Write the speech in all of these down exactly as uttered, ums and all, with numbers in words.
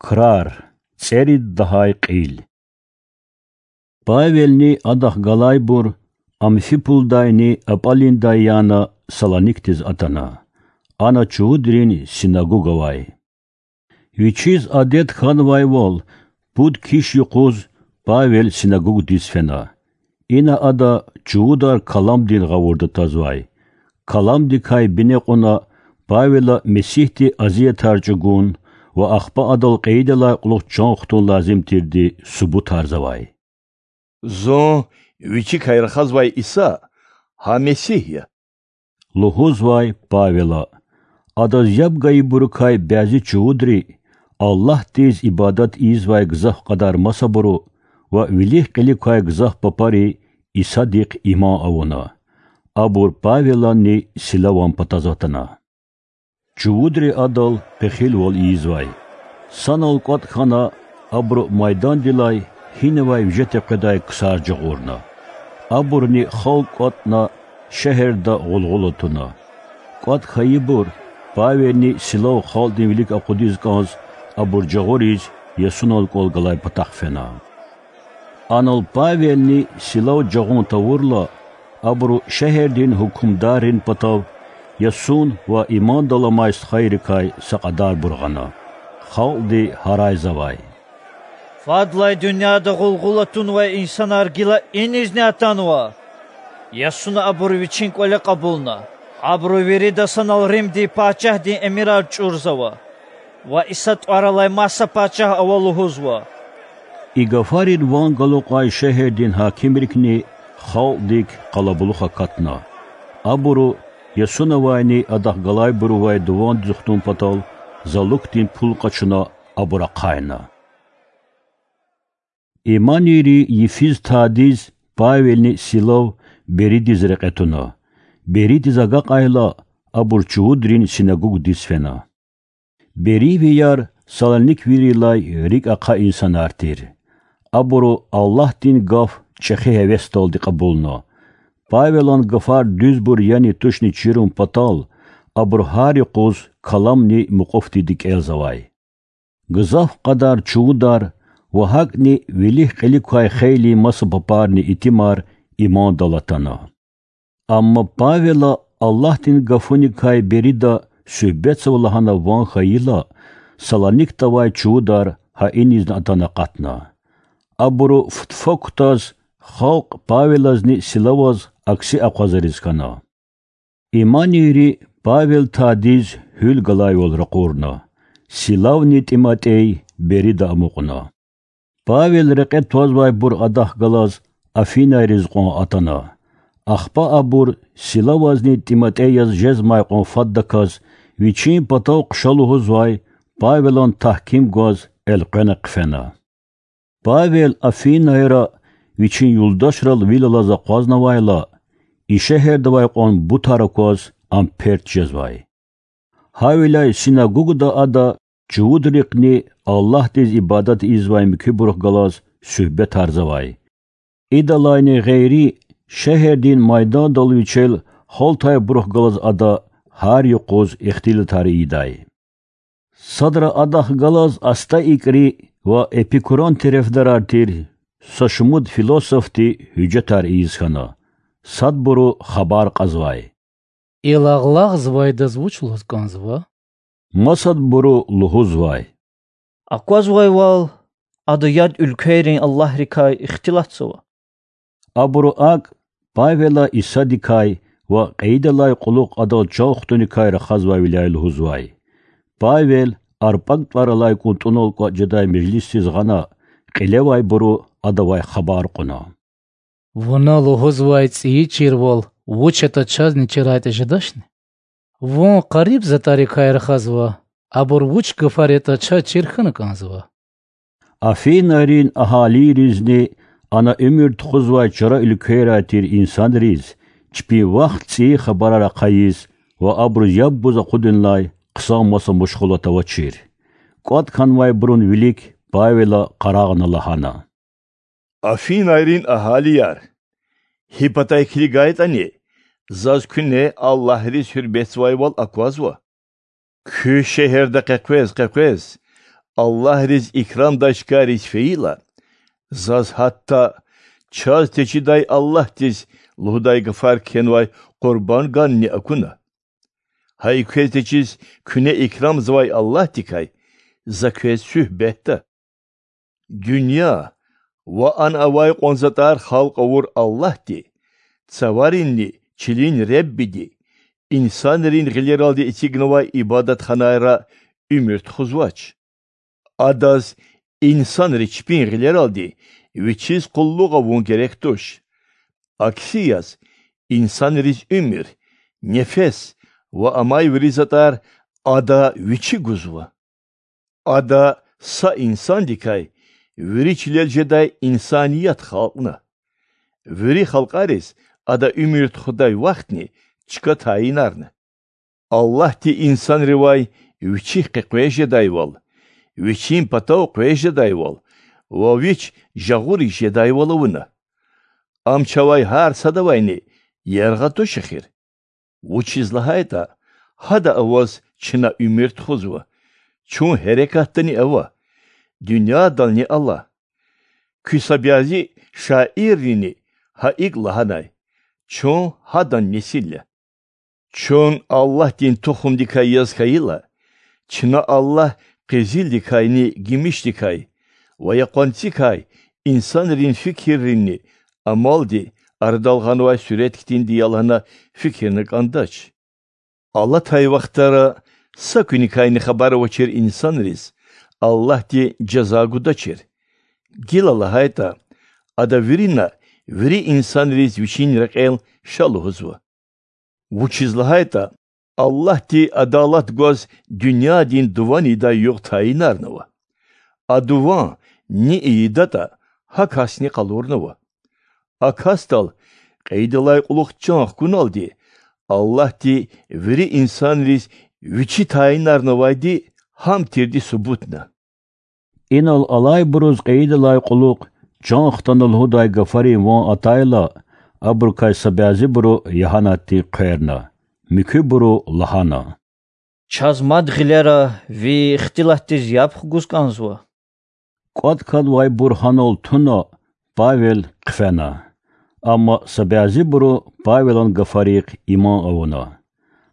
Крар, цӀерид лагьай кьил. Павелни адахъ галайбур Амфипулдайни Апаллиндай яна Салоникдиз атана. Ана чувудрин синагуг авай. Вичиз адет хьанвайвал, пуд киш юкъуз Павел синагугдиз фена. Ина ада чувудар каламдин гъавурда тазвай. Каламдикай бине кьуна Павела Месигьди азиятар чӀугун ва ахпа адал кьейидалай кьулухъ чан хтун лазим тирди субутарзавай. Зун Вичикай рахазвай Иса, гьа Месигь я, лугьузвай Павела. Адаз яб гайибурукай бязи чувудри, Аллагьдиз ибадат ийизвай гзаф кьадар масабуру ва вилик-кьилик квай гзаф папари Исадихъ иман авуна. Абур Павеланни Силаван патаз атана. Чувудри адал пехилвал ийизвай. Санал кӀватӀ хьана, абуру майдандилай гьинавай вижетӀа къведай ксар жагъурна. Абурни халкь кӀватӀна, шегьерда гъулгъула туна. КӀватӀ хьайибур Павелни Силав халкьдин вилик акъудиз кӀанз, абур жагъуриз ясунал кӀвал галай патахъ фена. Анал Павелни Силав жагъун тавурла, абуру шегьердин гьукумдаррин патав Ясун ва имандал амай стхайрикай са кьадарбур гъана. Халкьди гьарайзавай: Фадлай дуьньяда гъулгъула тунвай инсанар гила инизни атанва? Ясуна абур вичин кӀвале кьабулна. Абуру вирида санал Римдин пачагьдин эмирар чӀурзава ва Иса тӀвар алай маса пачагь ава лугьузва. И гафарин ван галукьай шегьердин гьакимрикни халкьдик къалабулух акатна. Абуру Ясунавайни адахъ галайбурувай дувандиз хтун патал залукдин пул къачуна, абур ахъайна. Иманийри йифиз тадиз Павелни Силав Беридиз рекье туна. Беридиз агакьайла, абур чувудрин синагугдиз фена. Бериевияр салониквийрилай рикӀ ахъа инсанар тир. Абуру Аллагьдин гаф чӀехи гьевесдалди кьабулна. Павелан гафар дуьзбур яни тушни чирун патал, абур гьар юкъуз каламни мукьуфдиди кӀелзавай. Гзаф кьадар чувудар ва гьакӀни вилик-кьилик квай хейлин маса папарни итимар имандал атана. Амма Павела Аллагьдин гафуникай Берида суьгьбетзава лагьана ван хьайила, Салоникда авай чувудар гьа инизни атана акъатна. Абуру футфа кутаз халкь Павелазни Силаваз акси акъвазариз хьана. Иманийри Павел тадиз гьуьл галайвал ракъурна. Силавни ТӀиматӀей Берида амукьна. Павел рекье твазвайбур адахъ галаз Афинайриз кьван атана. Ахпа абур Силавазни ТӀиматӀеяз жезмай кьван фаддаказ вичин патав хъша лугьузвай Павелан тагьким гваз элкъвена хъфена. Павел Афинайра вичин юлдашрал вил алаз акъвазнавайла, и шегьерда авай кьван бутар акваз, ам перт жезвай. Гьавиляй синагугда ада чувудрихъни Аллагьдиз ибадат ийизвай муькуьбурухъ галаз суьгьбетарзавай. Идалайни гъейри, шегьердин майдандал вичел гьалтайбурухъ галаз ада гьар юкъуз ихтилатар ийидай. Садра адахъ галаз АстаикӀри ва Эпикуран терефдарар тир са шумуд философди гьуьжетар ийиз хьана. Садбуру хабар кьазвай: Иллагълагъзавайдаз вуч лугьуз кӀанзава? Масадбуру лугьузвай: Аквазвайвал, ада яд уьлквейрин аллагьрикай ихтилатзава. Абуру акӀ Павела Исадикай ва кьейидалай кьулухъ адал чан хтуникай рахазвайвиляй лугьузвай. Павел АрпакӀ тӀвар алай кӀунтӀунал кӀватӀ жедай межлисдиз гъана, кьилевайбуру адавай хабар кьуна: Вуна лугьузвай цӀийи чирвал вуч ятӀа чазни чирайтӀа жедачни? Вун къариб затӀарикай рахазва, абур вуч гафар ятӀа чаз чир хьана кӀанзава. Афинайрин агьалийризни ана уьмуьр тухузвай чара уьлквейрай тир инсанриз чпин вахт цӀийи хабарар ахъайиз ва абуруз яб гуз акъудунилай хъсан маса машгъулат авачир. КӀватӀ хьанвайбурун вилик Павела къарагъна лагьана: Афинайрин агьалияр! Гьи патай килигайтӀани, заз куьне аллагьриз гьуьрметзавайвал аквазва. Куь шегьерда къекъвез-къекъвез Аллагьриз икрамдай чкайриз фейила, заз гьатта чаз течидай Аллагьдиз лугьудай гафар кхьенвай къурбанд ганни акуна. Гьа и квез течиз куьне икрамзавай Аллагьдикай за квез суьгьбетда. Дуьнья ва ана авай кьван затӀар халкь авур Аллагьди, цаваринни чилин Реббиди, инсанрин гъилералди эцигнавай ибадатханайра уьмуьр тухузвач. Адаз инсанри чпин гъилералди Вичиз къуллугъ авун герек туш. Акси яз, инсанриз уьмуьр, нефес ва амай вири затӀар Ада Вичи гузва. Ада са инсандикай вири чилел жедай инсаният халкьна. Вири халкьариз Ада уьмуьр тухудай вахтни чка тайинарна. Аллагьди инсанривай Вичихъ къекъвез жедайвал, Вичин патав къвез жедайвал ва Вич жагъуриз жедайвал авуна. Ам чавай гьар садавайни яргъа туш эхир. Вучиз лагьайтӀа Гьада аваз чна уьмуьр тухузва, чун гьерекатдани ава, дуьньядални ала. Куь са бязи шаиррини гьа икӀ лагьанай: Чун Гьадан несил я. Чун Аллагьдин тухумдикай яз хьайила, чна Аллагь къизилдикайни гимишдикай ва я къванцикай инсанрин фикирринни амалди арадал гъанвай суьрет хьтинди я лагьана фикирна кӀандач. Алатай вахтара са куьникайни хабар авачир инсанриз Аллагьди жаза гудачир, гила лагьайтӀа Ада вирина вири инсанриз Вичин рекьел ша лугьузва. Вучиз лагьайтӀа Аллагьди адалат гваз дуьньядин дуван ийидай югъ тайинарнава. А дуван ни ийидатӀа, гьа касни къалурнава. А касдал кьейидалай кьулухъ чан хкуналди Аллагьди вири инсанриз Вичи тайинарнавайди гьам тирди субутна. Инал алайбуруз кьейидалай кьулухъ чан хтана лугьудай гафарин ван атайла, абурукай са бязибуру Ягьанатдин хъверна, муькуьбуру лагьана: Чаз мад гъилера ви ихтилатдиз яб хгуз кӀанзава. КӀватӀ кӀанзавайбур гьанал туна, Павел хъфена. Амма са бязибуру Павелан гафарихъ иман авуна.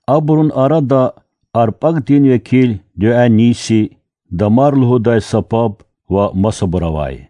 Абурун арада Арпагдин векил Дионисий, Дамар лугьудай са паб ва масабур авай.